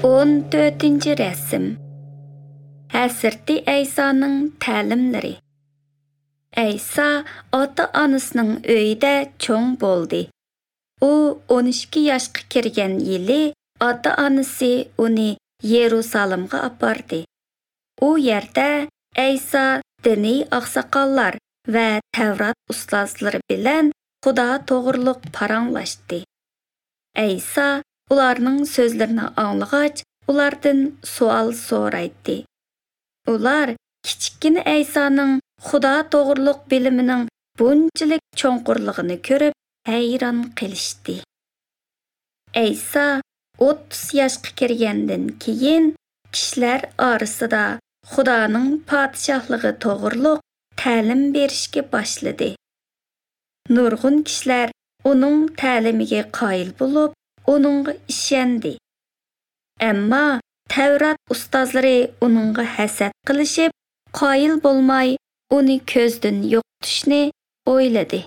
14 rasm. Hazrati Aysoning ta'limlari. Ayso ota-onasining uyida cho'ng bo'ldi. U 12 yoshga kirgan yili ota-onasi uni Yerusalimga apardi. U yerda Ayso diniy oqsoqollar va Tavrat ustozlari bilan Xudo to'g'riliq paranglashdi. Ayso ularning so'zlarini anglag'ach, ulardan savol so'raydi. Ular kichikgina Aysoning Xudo to'g'riliq bilimining bunchalik cho'nqurligini ko'rib hayron qilishdi. Ayso 30 yoshga kirgandan keyin kishilar orasida Xudoning podshohligi to'g'riliq ta'lim berishga boshladi. Nurg'un kishilar uning ta'limiga qoyil bo'lib, uningga ishondi. Ammo Tavrat ustozlari uningga hasad qilishib, qoyil bo'lmay, uni ko'zdan yo'qotishni o'yladi.